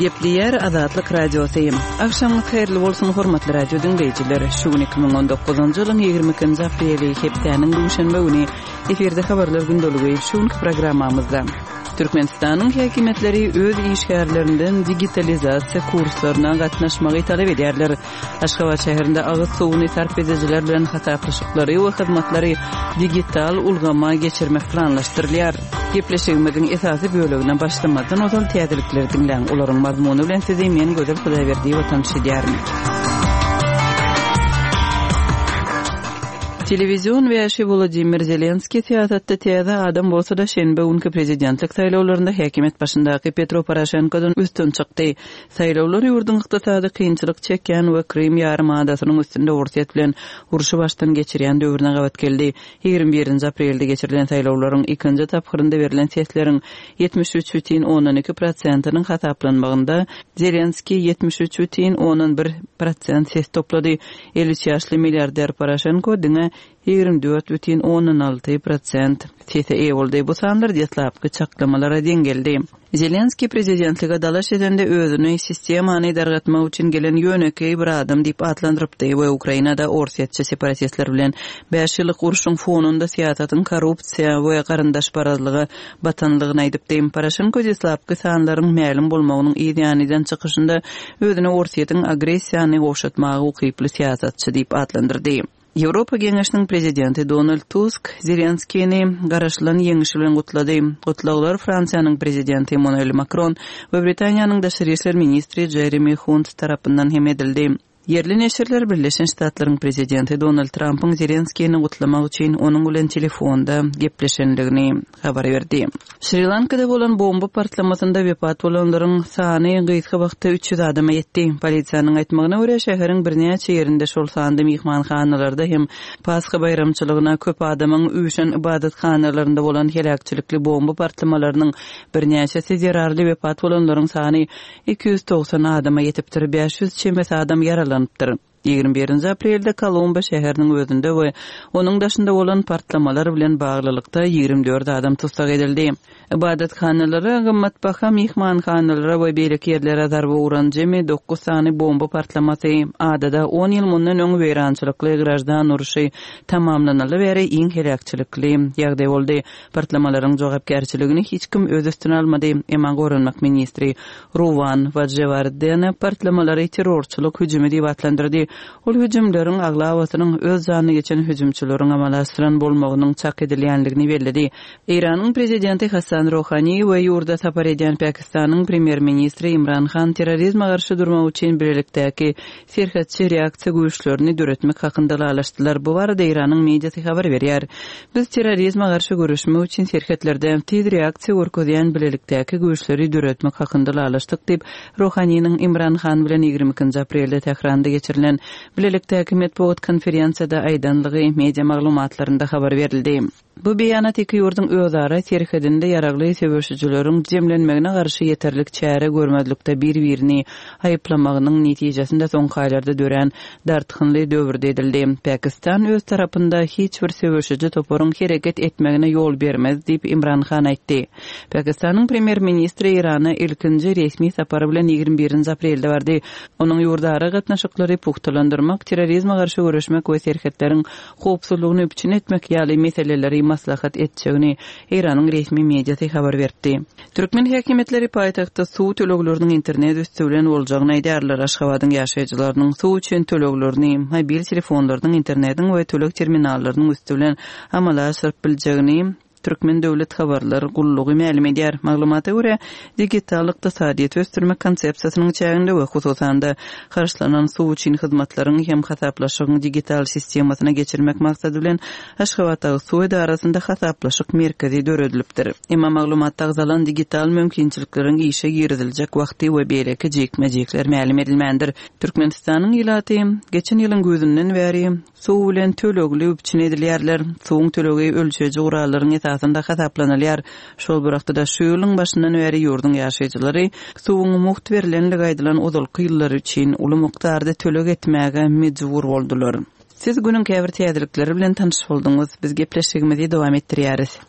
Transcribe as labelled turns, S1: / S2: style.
S1: Gepleýär Azatlyk Radiosy. Agşamyňyz haýyrly bolsun, hormatly radio diňleýjiler! Şu gün 2019-njy ýylyň 22-nji apreli, hepdäniň duşenbe güni. Efirde habarlar gündeligi. Şu günki programmamyzda Türkmenistanyň häkimiýetleri öz işgärlerinden digitalizasiýa kurslaryna gatnaşmagy talap edýärler. Aşgabat şäherinde agyz suwuny sarp edijiler bilen hasaplaşyklary we hyzmatlary digital ulgama geçirmek planlaşdyrylýar. Gepleşigimiziň esasy bölegine başlamazdan ozal täzelikleri diňläň. Olaryň mazmuny bilen sizi men Gözel Hudaýberdiýewa tanyş edýärin. Telewizion wäşi Wolodymyr Zelenskiý syýasatda täze adam bolsa-da, şenbe günki prezidentlik saýlawlarynda häkimiýet başyndaky Petro Poroşenkodan üstün çykdy. Saýlawlar ýurduň ykdysady kynçylyk çekýän we Krym ýarym adasynyň üstünde Orsýet bilen urşy başdan geçirýän döwrüne gabat geldi. 21-nji aprelde geçirilen saýlawlaryň ikinji tapgyrynda berlen sesleriň 73,2 prosentiniň hasaplanmagynda Zelenskiý 73,1 prosent ses toplady. 53 ýaşly milliarder Poroşenko diňe 24,6 prosent sese eýe boldy. Bu sanlar deslapky çaklamalara deň geldi. Zelenskiý prezidentlige dalaş edende özüni sistemany dargatmak üçin gelen ýönekeý bir adam diýip atlandyrypdy we Ukrainada orsýetçi separatistler bilen bäş ýyllyk urşuň fonunda syýasatyň korrupsiýa we garyndaşparazlyga batanlygyny aýdypdy. Poroşenko deslapky sanlaryň mälim bolmagynyň yz ýany eden çykyşynda özüni Orsýetiň agressiýany gowşatmaga ukyply syýasatçy diýip atlandyrdy. Ýewropa Geňeşiniň Prezidenti Donald Tusk Zelenskini garaşylan ýeňişi bilen gutlady. Gutlaglar Fransiýanyň Prezidenti Emmanuel Makron we Britaniýanyň daşary işler ministri Jeremi Hunt tarapyndan hem edildi. Ýerli neşirler Birleşen Ştatlaryň Prezidenti Donald Trampyň Zelenskini gutlamak üçin onuň bilen telefonda gepleşendigini habar berdi. Şri-Lankada bolan bomba partlamasynda wepat bolanlaryň sany gysga wagtda 300 adama ýetdi. Polisiýanyň aýtmagyna görä, şäheriň birnäçe ýerinde, şol sanda myhmanhanalarda hem Pasha baýramçylygyna köp adamyň üýşen ybadathanalarynda bolan heläkçilikli bomba partlamalarynyň birnäçesi zerarly wepat bolanlaryň sany 290 adama ýetipdir, 500 çemesi adam ýaralanypdyr. 21-nji aprelde Kolombo şäheriniň özünde we onuň daşynda bolan partlamalar bilen baglylykda 24 adam tussag edildi. Ybadathanalara, gymmatbaha myhmanhanalara we beýleki ýerlere zarba uran jemi dokuz sany bomba partlamasy adada on ýyl mundan öň weýrançylykly graždan urşy tamamlanaly bäri iň heläkçilikli ýagdaý boldy. Partlamalaryň jogapkärçiligini hiç kim öz üstüne almady, emma goranmak ministri Ruwan Wadjewardena partlamalary terrorçylyk hüjümi diýip atlandyrdy. Ol hüjümleriň aglabasynyň öz janyna geçen hüjümçileriň amala aşyran bolmagynyň çak edilýändigini belledi. Eýranyň prezidenti Hassan Rohani we ýurda sapar edýän Pakistanyň premýer-ministri Imran Han terrorizme garşy durmak üçin bilelikdäki serhetçi reaksiýa güýçlerini döretmek hakynda ylalaşdylar. Bu barada Eýranyň mediasy habar berýär. Biz terrorizme garşy göreşmek üçin serhetlerde tiz reaksiýa görkezýän bilelikdäki güýçleri döretmek hakynda ylalaşdyk diýip, Rohaniniň Imran Han bilen 22 nji aprelde Tähranda geçirilen bilelikdäki metbugat konferensiýada aýdanlygy media maglumatlarynda habar berildi. Bu beýanat iki ýurduň özara serhedinde ýaragly söweşijileriň jemlenmegine garşy ýeterlik çäre görmezlikde bir-birini aýyplamagynyň netijesinde soňky aýlarda dörän dartgynly döwürde edildi. Pakistan öz tarapynda hiç bir söweşiji toparyň hereket etmegine ýol bermez diýip, Imran Han aýtdy. Pakistanyň premýer-ministri Eýrana ilkinji resmi sapary bilen 21-nji aprelde bardy. Onuň ýurdara gatnaşyklary pugtalandyrmak, terrorizme garşy göreşmek we serhetleriň howpsuzlygyny üpjün etmek ýaly meseleleri maslahat etjegini Eýranyň resmi mediasy habar beripdi. Türkmen häkimiýetleri paýtagtda suw tölegleriniň internet üsti bilen boljagyny aýdýarlar. Aşgabadyň ýaşaýjylarynyň suw üçin töleglerini mobil telefonlarynyň, internetiň we töleg terminallarynyň üsti bilen amala aşyryp biljegini Türkmen döwlet habarlar gullugy mälim edýär. Maglumata görä, digital ykdysadyýeti ösdürmek konsepsiýasynyň çäginde we hususan-da, harçlanan suw üçin hyzmatlaryň hem hasaplaşygyň digital sistemasyna geçirmek maksady bilen Aşgabatdagyzsuw edarasynda hasaplaşyk merkezi döredilipdir. Emma maglumatda agzalan digital mümkinçilikleriň işe giriziljek wagty we beýleki jikme-jikler mälim edilmändir. Türkmenistanyň ilaty geçen ýylyň güýzünden bäri Suw bilen tölegli üpjün edilýärler. Suwuň tölegi ölçeýji gurallaryň esasynda hasaplanylýar. Şol bir wagtda-da, şu ýylyň başyndan bäri ýurduň ýaşaýjylary suwuň mugt berlendigi aýdylan ozalky ýyllar üçin uly mukdarda töleg etmäge mejbur boldular. Siz günüň käbir täzelikleri bilen tanyş bolduňyz. Biz gepleşigimizi dowam etdirýäris.